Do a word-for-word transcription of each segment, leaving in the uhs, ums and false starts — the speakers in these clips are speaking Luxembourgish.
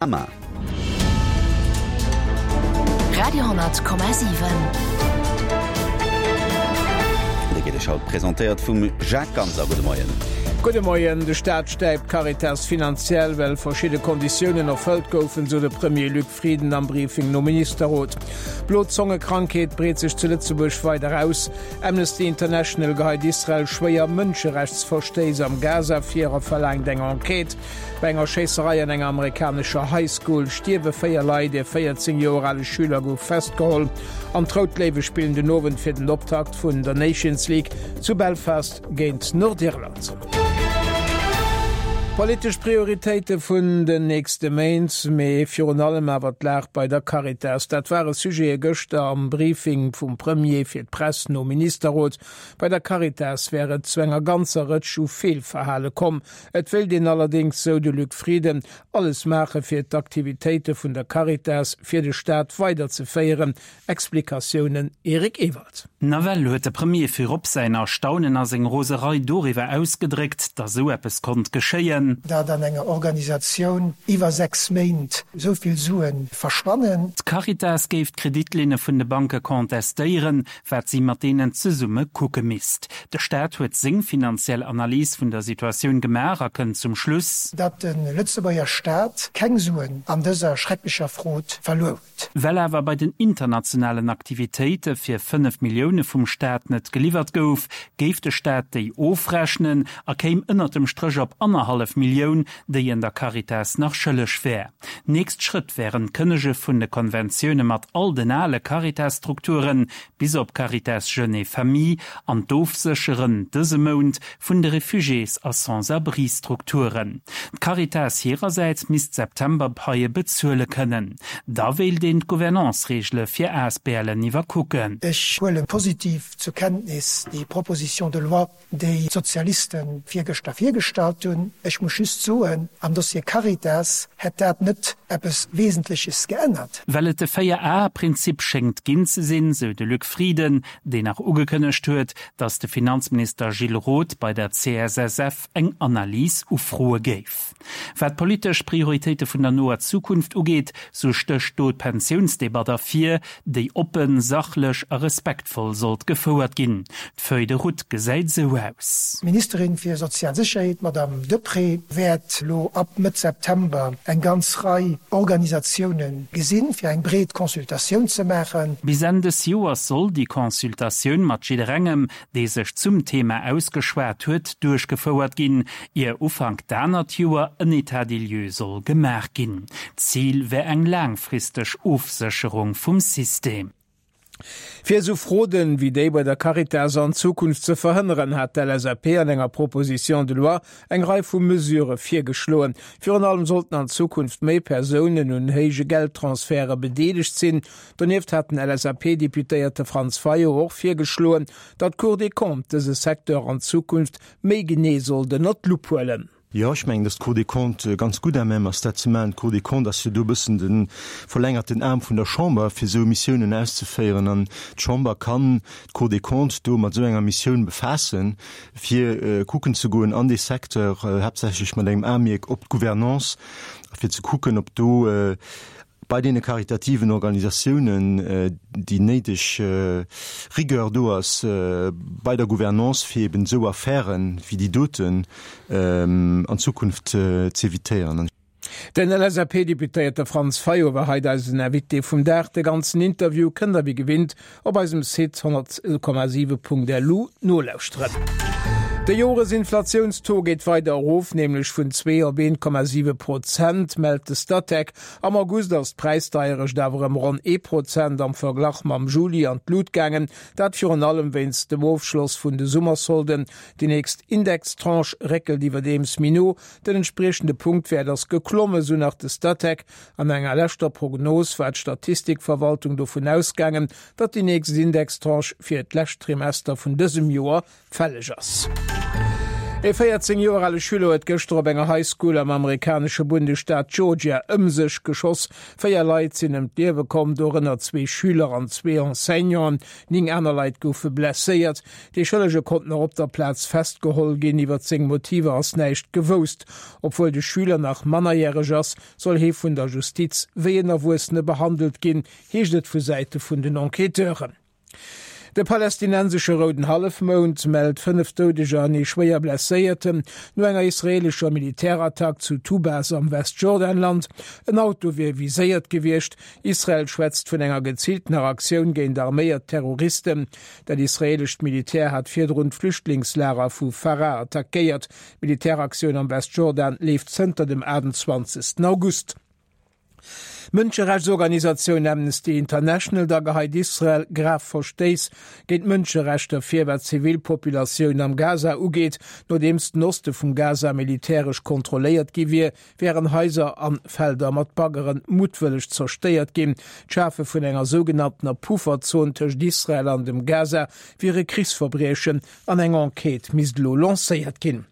Panorama. Radio hundert Komma siwen. Dee geet Iech haut presentéiert vum Jacques Ganser. Gudde Moien. Gudde Moien. De Staat stäipt d'Caritas finanziell, well verschidde Konditiounen erfëllt goufen, sou de Premier Luc Frieden am Briefing nom Ministerrot. D'Blozongekrankheet breet sech zu Lëtzebuerg weider aus. Amnesty International geheit Israel schwéier Mënscherechtsverstéiss am Gaza vir a verlaangt eng Enquête. Bei enger Schéisserei an enger amerikanescher High School stierwe véier Leit, ee véierzéng Joer ale Schüler gouf festgeholl. An d'Rout Léiwe spillen den Owend fir den Optakt vun der Nations League zu Belfast géint Nordirland. Politesch Prioritéite vun den nächste Méint, mee virun allem awer d'Lag bei der Caritas, dat ware Sujete gëschter am Briefing vum Premier fir d'Press nom Ministerrot. Bei der Caritas wär et zu enger ganzer Rëtsch u Feelverhale komm. Et wéilt een allerdéngs, sou de Luc Frieden, alles maache fir d'Aktivitéite vun der Caritas fir de Staat weiderzeféieren. Explikatiounen Eric Ewald. Nawell huet de Premier virop säin Erstaunen a seng Roserei doriwwer ausgedréckt, datt esou eppes konnt geschéien. Datt an enger Organisatioun iwwer sechs Méint esou vill Sue verschwannen. D'Caritas géif d'Kreditlinne vun de Banke contestéieren, wat si mat deenen zesumme kucke misst. De Staat huet seng finanziell Analys vun der Situatioun gemaach a kënnt zum Schluss. Datt de Lëtzebuerger Staat keng Suen an dëser schrecklecher Frod verluer huet. Well awer bei den internationalen Aktivitéite fir fënnef Millioune vum Staat net geliwwert gouf, géif de Staat déi ofrechnen a kéim ënnert dem Stréch op annerhallef Millioun, déi en der Caritas nach schëlleg wär. Nächst Schrëtt wären d'Kënnege vun de Konventioune mat all den ale Caritas-Strukturen, bis op Caritas Jeunes et Familles, an d'Ofsécheren dëse Mount vun de Refugiés a Sans-abri-Strukturen. D'Caritas hirersäits misst d'September-Paie bezuele kënnen. Da wéilt een d'Gouvernance-Reegele fir Asblen iwwerkucken. Ech huele positiv zur Kenntnis déi Proposition de loi, déi d'Sozialiste virgëschter virgestallt hunn. Ech muss just soen, am Dossier Caritas hätt dat net eppes Wesentleches geännert. Well et de Véier-Ae-Prinzip schéngt ginn ze sinn, sou de Luc Frieden, deen nach ugekënnegt huet, datt de Finanzminister Gilles Roth bei der C S S F eng Analys ufroe géif. Wat d'politesch Prioritéite vun der noer Zukunft ugeet, sou stécht do d'Pensiounsdebatt ervir, déi oppen, sachlech a respektvoll sollt gefouert ginn. D'Feuille de route gesäit sou aus. D'Ministerin fir sozial Sécherheet, d'Madame Deprez, wäert elo ab Mëtt September eng ganz Rei Organisatioune gesinn, fir eng breet Consultatioun ze maachen. Bis Enn des Joers soll déi Consultatioun mat jidderengem, dee sech zum Thema ausgeschwat huet, duerchgefouert ginn, ier Ufank d'anert Joer en État des lieux soll gemaach ginn. Zil wär eng laangfristeg Ofsécherung vum System. Fir esou Froden wéi déi bei der Caritas an Zukunft ze verhënneren, hat d'L S A P an enger Proposition de loi eng Rei vu Mesurë virgeschloen. Virun allem sollten an Zukunft méi Persounen un héije Geldtransfere bedeelegt sinn. Donieft hat den L S A P-Deputéierte Franz Fayot och virgeschloen, datt d'Cour des Comptes dëse Secteur an Zukunft méi genee sollt ënnert d'Lupp huelen. Jo, ech mengen, dass d'Cour des Comptes ganz gutt à même ass, dat ze maachen. D'Cour des Comptes ass jo do e bëssen de verlängerten Aarm vun der Chamber, fir esou Missiounen auszeféieren. An d'Chamber kann d'Cour des Comptes do mat esou enger Missioun befaassen, fir kucken ze goen an dee Secteur, haaptsächlech mat engem Aemierk op d'Gouvernance, fir ze kucken, ob do bei deene karitativen Organisatiounen déi néideg Rigueur do ass bei der Gouvernance, fir eben esou Affären wéi déi doten an Zukunft z'evitéieren. Den L S A P-Deputéierte Franz Fayot war haut eisen Invité vum Dag. De ganzen Interview kënnt der wéi gewinnt op eisem Site honnert Komma siwe Punkt L U nolauschteren. De Joresinflatiounstaux geet weider erof, nämlech vun zwee op een Komma siwe Prozent, mellt de Statec. Am August ass d'Präisdeierecht awer ëm ronn ee Prozent am Verglach mam Juli an d'Lut gaangen, dat virun allem wéinst dem Ofschloss vun de Summersolden. Déi nächst Indextranche réckelt iwwerdeems méi no. Den entspriechende Punktwäert ass geklomme, sou nach de Statec. An enger leschter Prognos war d'Statistikverwaltung dovun ausgaangen, datt déi nächst Indextranche fir d'lescht Trimester vun dësem Joer fälleg ass. E véierzéng Joer ale Schüler huet gëschter op enger High School am amerikanesche Bundesstaat Georgia ëm sech geschoss. Véier Leit sinn ëm d'Liewe komm, dorënner zwee Schüler an zwee Enseignanten. Néng aner Leit goufe blesséiert. Dee Schëllege konnt nach op der Plaz festgeholl ginn. Iwwer seng Motiver ass näischt gewousst. Obwuel de Schüler nach mannerjäreg ass, soll hie vun der Justiz wéi en Erwuessene behandelt ginn, heescht et vu Säite vun den Enquêteuren. De palästinensesche Rouden Hallefmound mellt fënnef Doudeger an ee schwéier Blesséierten no enger israeelescher Militärattack zu Tubas am Westjordanland. En Auto wier viséiert gewiescht. Israel schwätzt vun enger geziiltener Aktioun géint arméiert Terroristen. Dat israeelescht Militär hat virdrun d'Flüchtlingslager vu Far'a attackéiert. D'Militäraktioun am Westjordan leeft zënter dem achtundzwanzegsten August. D'Mënscherechtsorganisatioun Amnesty International da geheit Israel grav Verstéiss géint d'Mënscherechter vir, wat d'Zivilpopulatioun am Gaza ugeet. Nodeems den Oste vum Gaza militäresch kontrolléiert gi wier, wären Haiser an Felder mat Baggeren muttwëlleg zerstéiert ginn. D'Schafe vun enger sougenanntener Pufferzon tëscht Israel an dem Gaza wier e Krichsverbriechen an eng Enquête misst elo lancéiert ginn.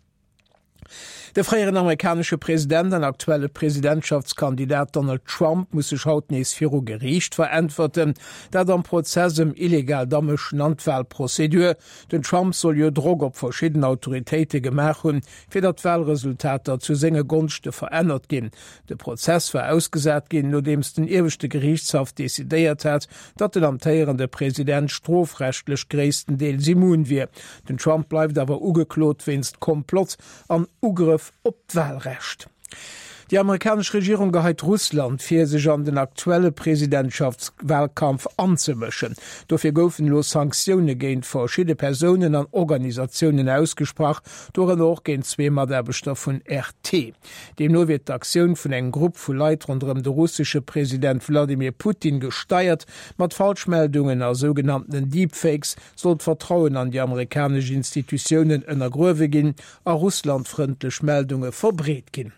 De fréieren amerikanesche President an aktuelle Presidentschaftskandidat Donald Trump muss sech haut nees viru Geriicht veräntwerten, dat am Prozess ëm illegaalt Amëschen an d'Walprozedur. Den Trump soll jo Drock op verschidden Autoritéite gemaach hunn, fir datt d'Walresultater zu senge Gonschte verännert ginn. De Prozess war ausgesat ginn, nodeems den Ieweschte Geriichtshaff decidéiert hat, datt den amtéierende President strofrechtlech gréisstendeels immun wier. Den Trump bleift awer ugeklot wéinst Komplott an Ugrëff op d'Wahlrecht. Déi amerikanesch Regierung geheit Russland vir, sech an den aktuelle Presidentschaftswahlkampf anzemëschen. Dofir goufen elo Sanktioune géint verschidde Persounen an Organisatiounen ausgesprach, dorënner och géint zwee Mataarbechter vun R T. Deemno wier d'Aktioun vun engem Grupp vu Leit ronderëm de russesche President Wladimir Putin gesteiert. Mat Falschmeldungen a sougenanntenen Deepfakes soll d'Vertrauen an déi amerikanesch Institutiounen ënnergruewe ginn a russlandfrëndlech Meldunge verbreet ginn.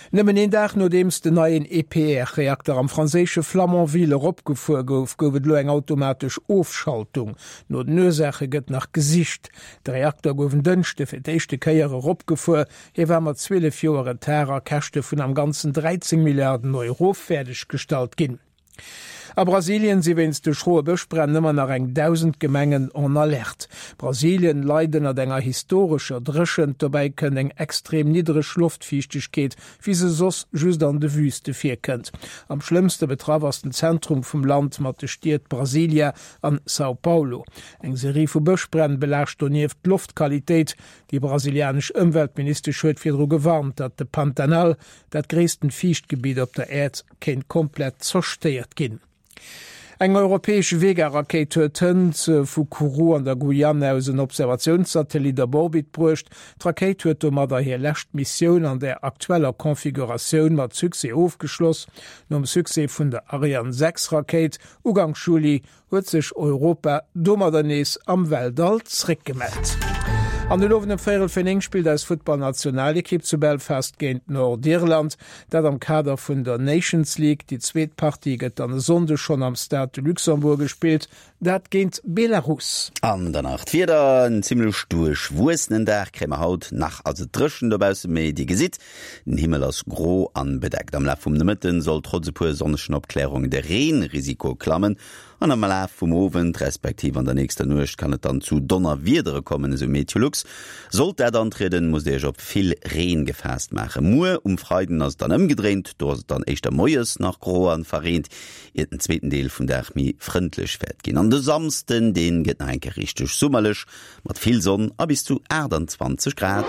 Nëmmen een Dag nodeems den neien E P R-Reakter am franséische Flamanville eropgefuer gouf, gouf et elo eng automatesch Ofschaltung. No den Ursaache gëtt nach gesicht. De Reakter gouf en Dënschde fir d'éischte Kéier eropgefuer. Hie war mat zwielef Joer Retard a Käschte vun am Ganzen dräizéng Milliarden Euro fäerdeggestallt ginn. A Brasilien si wéinst de schroe Bëschbränn ëmmer nach eng dausend Gemengen en Alerte. Brasilien leit ënnert enger historescher Dréchent, dobäi kënnt eng extrem niddreg Loftfiichtegkeet, wéi se soss just an de Wüste virkënnt. Am schlëmmste betraff ass den Zentrum vum Land mat de Stied Brasilia an São Paulo. Eng Serie vu Bëschbränn belaascht donieft d'Loftqualitéit. Déi brasilianesch Ëmweltministesch huet virdru gewarnt, datt de Pantanal, dat gréissten Fiichtgebitt op der Äerd, kéint komplett zerstéiert ginn. Eng europäesch Vega-Rakéit huet hënt vu Kourou an der Guyane aus en Observatiounssatellit op Orbit bruecht. D'Rakéit huet domadder hir lescht Missioun an der aktueller Konfiguratioun mat Succès ofgeschloss. Nom Succès vun der Ariane sechs Rakéit Uganks Juli huet sech Europa domadder nees am Weltall zréckgemellt. An den Owend um véierel vir néng spillt eis Futtballnationalekipp zu Belfast géint Nordirland, dat am Kader vun der Nations League. Déi zweet Partie gëtt dann e Sonndeg schonn am Stade de Luxembourg gespillt, dat géint Belarus. An dann nach d'Wieder, En zimmlech duerchwuessenen Dag kréie mer haut. Nach ass et dréchen dobaussen, mee Dir gesitt, den Himmel ass gro an bedeckt. Am Laf vum Nomëtten soll trotz e puer sonnegen Opklärungen de Reenrisiko klammen an am Laf vum Owend respektiv an der nächster Nuecht kann et dann zu Donnerwiedere kommen, esou Meteolux. Sollt dat antrieden, musst Dir Iech op vill Reen gefaasst maachen. Muer um Freiden ass et dann ëmgedréint, do ass et dann éischter moies nach gro an verreent, iert den zweeten Deel vum Dag méi frëndlech wäert ginn. An de Samsden, dee gëtt nach eng Kéier richteg summerlech, mat vill Sonn a bis zu aachtanzwanzeg Grad.